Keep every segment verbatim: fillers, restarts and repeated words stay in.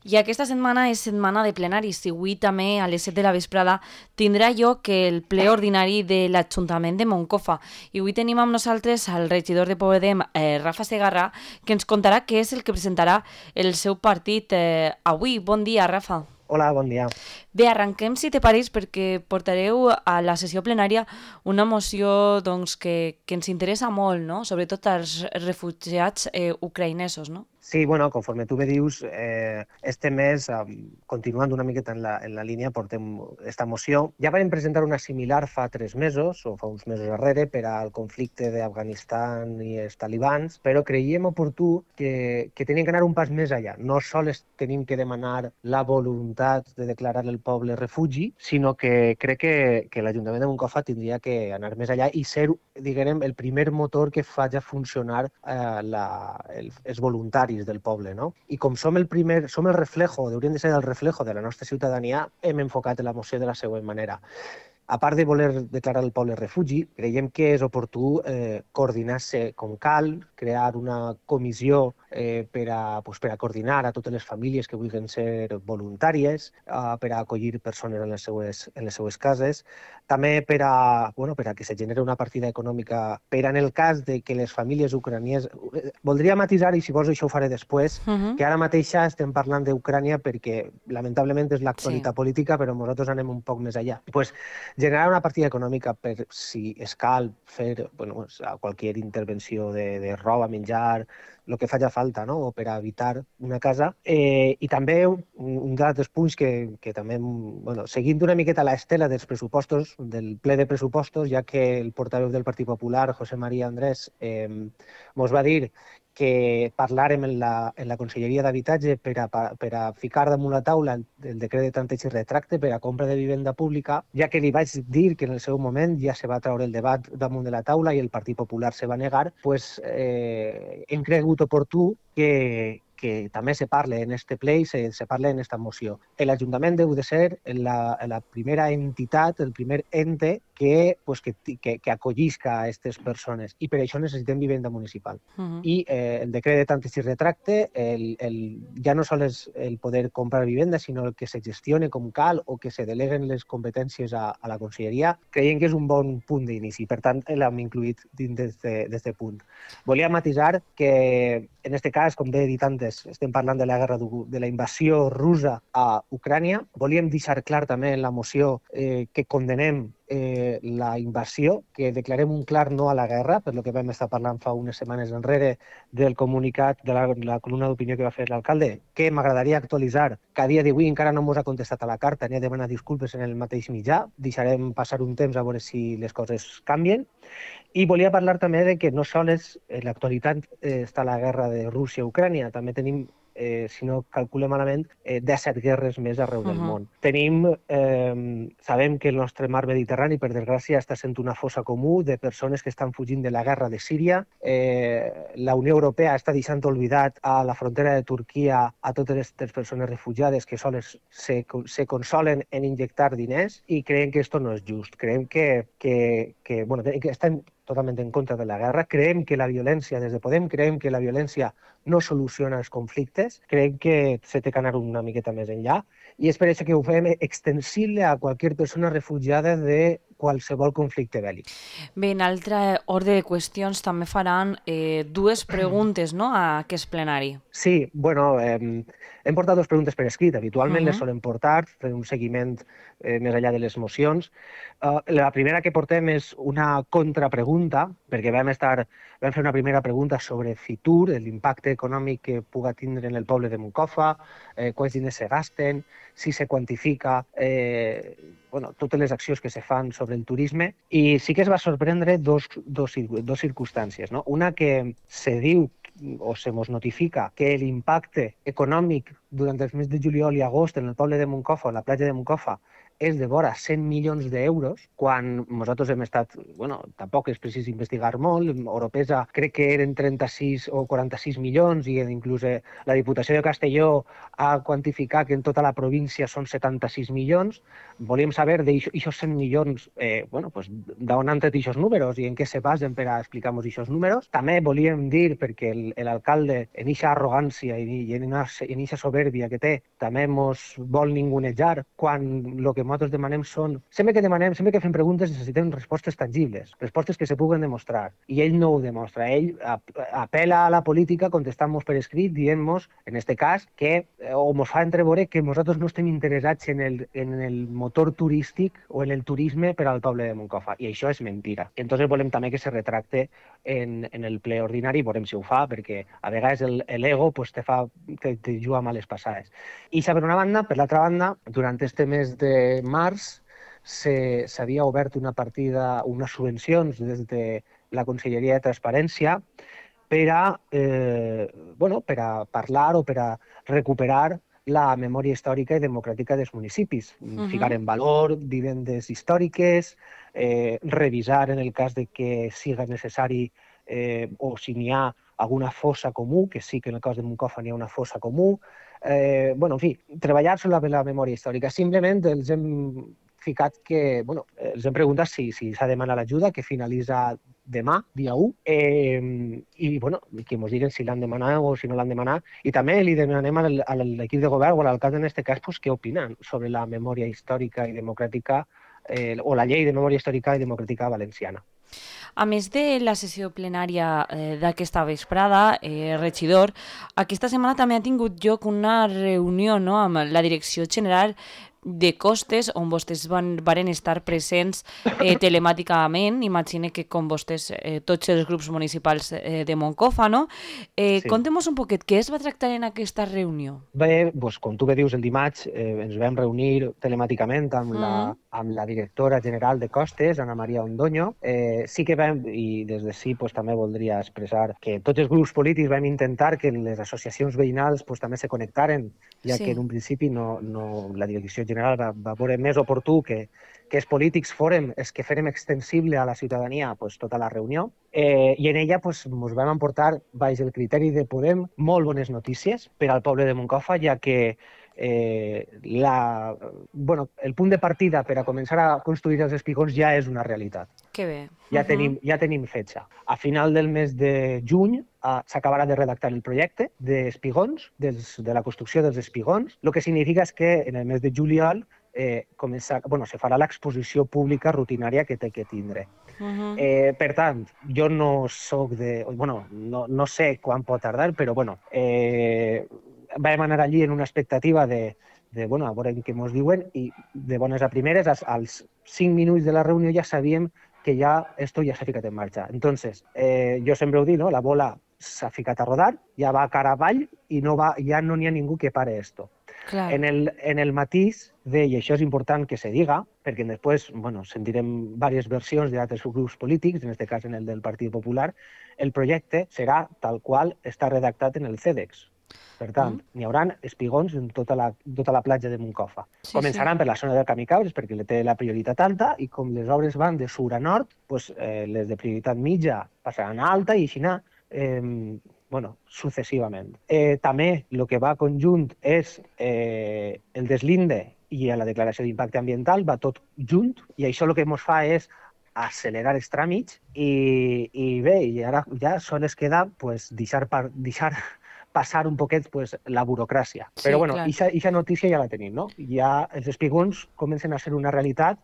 I aquesta setmana és setmana de plenaris i avui també a les set de la vesprada tindrà lloc el ple ordinari de l'Ajuntament de Moncofa. I avui tenim amb nosaltres al regidor de Podem, eh, Rafa Segarra, que ens contarà què és el que presentarà el seu partit eh, avui. Bon dia, Rafa. Hola, bon dia. Bé, arrenquem, si te pareix, perquè portareu a la sessió plenària una moció doncs, que, que ens interessa molt, no? Sobretot als refugiats eh, ucraïnesos, no? Sí, bueno, conforme tu bé dius, eh, este mes, eh, continuant una miqueta en la, en la línia, portem esta moció. Ja vam presentar una similar fa tres mesos, o fa uns mesos darrere, per al conflicte d'Afganistan i els talibans, però creiem oportú que, que tenim que anar un pas més allà. No sols tenim que demanar la voluntat de declarar el poble refugi, sinó que crec que, que l'Ajuntament de Moncofa tindria que anar més allà i ser, diguem, el primer motor que faci funcionar eh, la, el, els voluntaris del poble, no? I com som el primer, som el reflejo, hauríem de ser el reflejo de la nostra ciutadania, hem enfocat la moció de la següent manera. A part de voler declarar el poble refugi, creiem que és oportú eh, coordinar-se com cal, crear una comissió eh, per, a, pues, per a coordinar a totes les famílies que vulguin ser voluntàries, eh, per a acollir persones en les seues, en les seues cases, també per a, bueno, per a que se generi una partida econòmica per a, en el cas de que les famílies ucranianes... Eh, voldria matisar, i si vols això ho faré després, uh -huh. que ara mateixa estem parlant d'Ucrània perquè lamentablement és l'actualitat sí. política, però nosaltres anem un poc més allà. Pues, generar una partida econòmica per si es cal fer bueno, qualsevol intervenció de, de roba, menjar, el que faci falta, no? O per a evitar una casa. Eh, I també un, un d'altres punts que, que també, bueno, seguint una miqueta l'estela dels pressupostos, del ple de pressupostos, ja que el portaveu del Partit Popular, José María Andrés, eh, mos va dir que parlàrem en la, en la Conselleria d'Habitatge per a, per a ficar damunt la taula el, el decret de tanteig i retracte per a compra de vivenda pública, ja que li vaig dir que en el seu moment ja se va treure el debat damunt de la taula i el Partit Popular se va negar, pues, eh, hem cregut oportú que, que també se parle en este ple i se, se parle en esta moció. L'Ajuntament deu de ser la, la primera entitat, el primer ente que, pues, que, que, que acollisca a aquestes persones i per això necessitem vivenda municipal. Uh -huh. I eh, el decret de tanteig i retracte el, el, ja no sols el poder comprar vivenda, sinó el que se gestione com cal o que se deleguen les competències a, a la conselleria, creiem que és un bon punt d'inici. Per tant, l'hem incluït dins d'aquest punt. Volia matisar que, en aquest cas, com bé he dit antes, estem parlant de la guerra de la invasió russa a Ucrània. Volíem deixar clar també en la moció eh, que condenem eh, la invasió, que declarem un clar no a la guerra, per lo que vam estar parlant fa unes setmanes enrere del comunicat de la, la columna d'opinió que va fer l'alcalde, que m'agradaria actualitzar, que a dia d'avui encara no ens ha contestat a la carta ni ha demanat disculpes en el mateix mitjà. Deixarem passar un temps a veure si les coses canvien. I volia parlar també de que no sols en l'actualitat eh, està la guerra de Rússia a Ucrània, també tenim Eh, si no calculem malament, eh, disset guerres més arreu del uh -huh. món. Tenim, eh, sabem que el nostre mar Mediterrani, per desgràcia, està sent una fossa comú de persones que estan fugint de la guerra de Síria. Eh, la Unió Europea està deixant oblidat a la frontera de Turquia a totes aquestes persones refugiades que sols se, se consolen en injectar diners i creiem que això no és just. Creiem que, que, que, bueno, que estem totalment en contra de la guerra. Creiem que la violència, des de Podem, creiem que la violència no soluciona els conflictes. Creiem que se té que anar una miqueta més enllà i és per això que ho fem extensible a qualsevol persona refugiada de qualsevol conflicte bèl·lic. Bé, en altre ordre de qüestions també faran eh, dues preguntes, no?, a aquest plenari. Sí, bueno, eh, hem portat dues preguntes per escrit. Habitualment uh -huh. les solem portar, fer un seguiment eh, més enllà de les mocions. Uh, la primera que portem és una contrapregunta, perquè vam, estar, vam fer una primera pregunta sobre Fitur, l'impacte econòmic que puga tindre en el poble de Moncofa, eh, quants diners se gasten, si se quantifica eh, bueno, totes les accions que se fan sobre el turisme, i sí que es va sorprendre dos, dos, dos circumstàncies, no? Una que se diu o se nos notifica que l'impacte econòmic durant els mesos de juliol i agost en el poble de Moncofa, a la platja de Moncofa, és de vora cent milions d'euros, quan nosaltres hem estat, bueno, tampoc és precís investigar molt, Oropesa crec que eren trenta-sis o quaranta-sis milions i inclús la Diputació de Castelló ha quantificat que en tota la província són setanta-sis milions. Volíem saber d'aixòs cent milions, eh, bueno, pues, d'on han tret aquests números i en què se basen per a explicar-nos aquests números. També volíem dir, perquè l'alcalde, en aquesta arrogància i en aquesta soberbia que té, també mos vol ningunejar, quan el que nosaltres demanem són... Sempre que demanem, sempre que fem preguntes necessitem respostes tangibles, respostes que se puguen demostrar. I ell no ho demostra. Ell apela a la política contestant-nos per escrit, dient-nos, en aquest cas, que o ens fa entreveure que nosaltres no estem interessats en el, en el motor turístic o en el turisme per al poble de Moncofa. I això és mentira. Entonces volem també que se retracte en, en el ple ordinari, veurem si ho fa, perquè a vegades l'ego pues, te, fa, te, te juga males passades. I per una banda, per l'altra banda, durant este mes de març s'havia obert una partida, unes subvencions des de la Conselleria de Transparència per a, eh, bueno, per a parlar o per a recuperar la memòria històrica i democràtica dels municipis. Uh-huh. Ficar en valor vivendes històriques, eh, revisar en el cas de que siga necessari eh, o si n'hi ha alguna fossa comú, que sí que en el cas de Moncofa n'hi ha una fossa comú. Eh, bueno, en fi, treballar sobre la memòria històrica. Simplement els hem ficat que, bueno, els hem preguntat si s'ha si de demanar l'ajuda, que finalitza demà, dia u, eh, i bueno, que ens diguen si l'han demanat o si no l'han demanat. I també li demanem a l'equip de govern o a l'alcalde en aquest cas pues, què opinen sobre la memòria històrica i democràtica eh, o la llei de memòria històrica i democràtica valenciana. A més de la sessió plenària eh, d'aquesta vesprada, eh, regidor, aquesta setmana també ha tingut lloc una reunió, no?, amb la Direcció General de Costes, on vostès van, varen estar presents eh, telemàticament. Imagine que com vostès, eh, tots els grups municipals eh, de Moncofa, no? Eh, sí. Contem-nos un poquet, què es va tractar en aquesta reunió? Bé, doncs, com tu bé dius, el dimarts eh, ens vam reunir telemàticament amb, mm. la, amb la directora general de Costes, Ana Maria Ondoño. Eh, sí que vam, i des de sí pues, també voldria expressar que tots els grups polítics vam intentar que les associacions veïnals pues, també se connectaren, ja sí. que en un principi no, no, la direcció general va, va veure més oportú que, que els polítics fórem els que fèrem extensible a la ciutadania pues, tota la reunió. Eh, I en ella pues, ens vam emportar, baix el criteri de Podem, molt bones notícies per al poble de Moncofa, ja que eh, la, bueno, el punt de partida per a començar a construir els espigons ja és una realitat. Que bé. Ja, uh-huh. tenim, ja tenim fetge. A final del mes de juny uh, s'acabarà de redactar el projecte d'espigons, dels, de la construcció dels espigons, el que significa és que en el mes de juliol eh, començar, bueno, se farà l'exposició pública rutinària que té que tindre. Uh-huh. eh, per tant, jo no soc de... Bueno, no, no sé quan pot tardar, però bueno, eh, vam anar allí en una expectativa de, de bueno, a veure què ens diuen, i de bones a primeres, als, als cinc minuts de la reunió ja sabíem que ja esto ja s'ha ficat en marxa. Entonces, eh, jo sempre ho dic, no? La bola s'ha ficat a rodar, ja va cara avall i no va, ja no n'hi ha ningú que pare esto. Claro. En el, en el matís de, i això és important que se diga, perquè després bueno, sentirem diverses versions d'altres grups polítics, en aquest cas en el del Partit Popular, el projecte serà tal qual està redactat en el CEDEX. Per tant, mm. n'hi haurà espigons en tota la, tota la platja de Moncofa. Sí, Començaran sí. per la zona del Camí Cabres, perquè li té la prioritat alta, i com les obres van de sur a nord, pues, eh, les de prioritat mitja passaran a alta i així anar eh, bueno, successivament. Eh, també el que va conjunt és eh, el deslinde i la declaració d'impacte ambiental, va tot junt, i això el que ens fa és accelerar els tràmits i, i bé, i ara ja sols queda pues, deixar, par, deixar passar un poquet pues, la burocràcia. Sí, però bueno, aquesta notícia ja la tenim, no? Ja els espigons comencen a ser una realitat.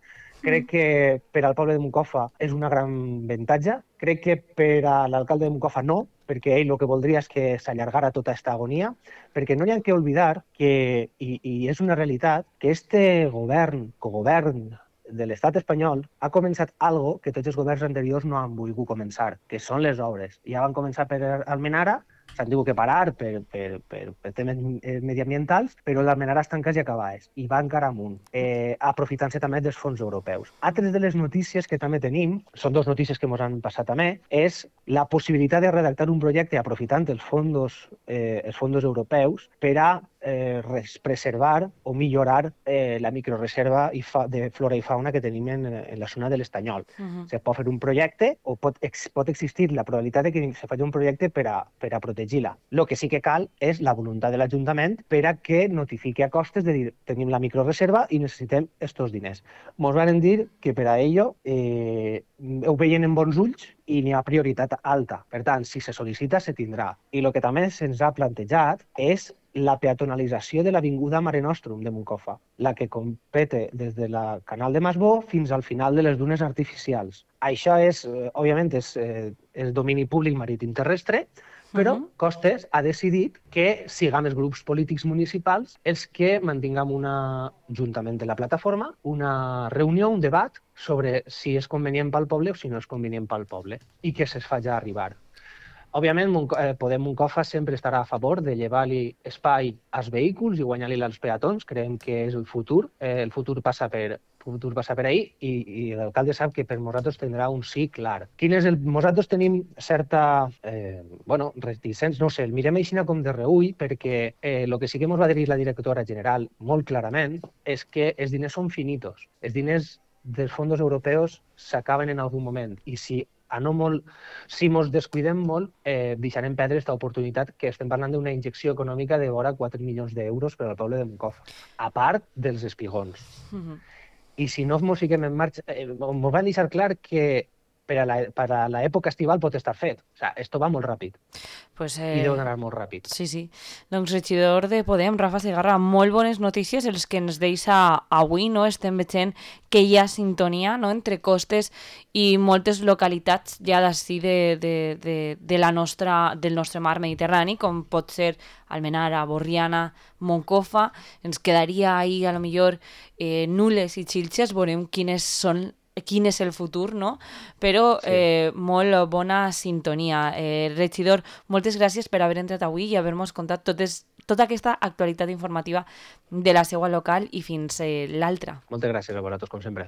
Crec que per al poble de Moncofa és una gran avantatge. Crec que per a l'alcalde de Moncofa no, perquè ell el que voldria és que s'allargara tota aquesta agonia, perquè no hi ha que oblidar que, i, i és una realitat, que este govern, cogovern de l'estat espanyol, ha començat algo que tots els governs anteriors no han volgut començar, que són les obres. Ja van començar per Almenara, s'han tingut que parar per, per, per, per temes mediambientals, però l'Almenara estan quasi acabades i va encara amunt, eh, aprofitant-se també dels fons europeus. Altres de les notícies que també tenim, són dues notícies que ens han passat també, és la possibilitat de redactar un projecte aprofitant els fons, eh, els fons europeus per a eh, res, preservar o millorar eh, la microreserva i fa, de flora i fauna que tenim en, en la zona de l'Estanyol. Uh-huh. Se pot fer un projecte o pot, ex, pot existir la probabilitat de que se faci un projecte per a, per a protegir-la. El que sí que cal és la voluntat de l'Ajuntament per a que notifiqui a costes de dir tenim la microreserva i necessitem estos diners. Ens van dir que per a ello eh, ho veien en bons ulls i n'hi ha prioritat alta. Per tant, si se sol·licita, se tindrà. I el que també se'ns ha plantejat és la peatonalització de l'avinguda Mare Nostrum de Moncofa, la que compete des de la Canal de Masbó fins al final de les dunes artificials. Això és, eh, òbviament, és, eh, és domini públic marítim terrestre, però uh-huh. Costes ha decidit que siguem els grups polítics municipals els que mantinguem una, juntament de la plataforma, una reunió, un debat sobre si és convenient pel poble o si no és convenient pel poble i que se'ls faci arribar. Òbviament, Podem Moncofa sempre estarà a favor de llevar-li espai als vehicles i guanyar-li als peatons. Creiem que és el futur. Eh, el futur passa per el futur passa per ahí i, i l'alcalde sap que per nosaltres tindrà un sí clar. Quin és el... Nosaltres tenim certa, eh, bueno, reticents, no sé, el mirem així com de reull perquè el eh, que sí que ens va dir la directora general molt clarament és que els diners són finitos. Els diners dels fons europeus s'acaben en algun moment i si a no molt, si ens descuidem molt, eh, deixarem perdre aquesta oportunitat que estem parlant d'una injecció econòmica de vora quatre milions d'euros per al poble de Moncofa, a part dels espigons. Uh-huh. I si no ens fiquem en marxa, eh, ens van deixar clar que per a, la, per a l'època estival pot estar fet. O sigui, esto va molt ràpid. Pues, eh, I deu anar molt ràpid. Sí, sí. Doncs regidor de Podem, Rafa Segarra, molt bones notícies els que ens deixa avui, no? Estem veient que hi ha sintonia, no?, entre Costes i moltes localitats ja d'ací de, de, de, de la nostra, del nostre mar Mediterrani, com pot ser Almenara, Borriana, Moncofa. Ens quedaria ahí, a lo millor, eh, Nules i Xilxes, veurem quines són quin és el futur, no? Però sí. eh, molt bona sintonia. Eh, regidor, moltes gràcies per haver entrat avui i haver-nos contat totes, tota aquesta actualitat informativa de la seua local i fins eh, l'altra. Moltes gràcies a vosaltres, com sempre.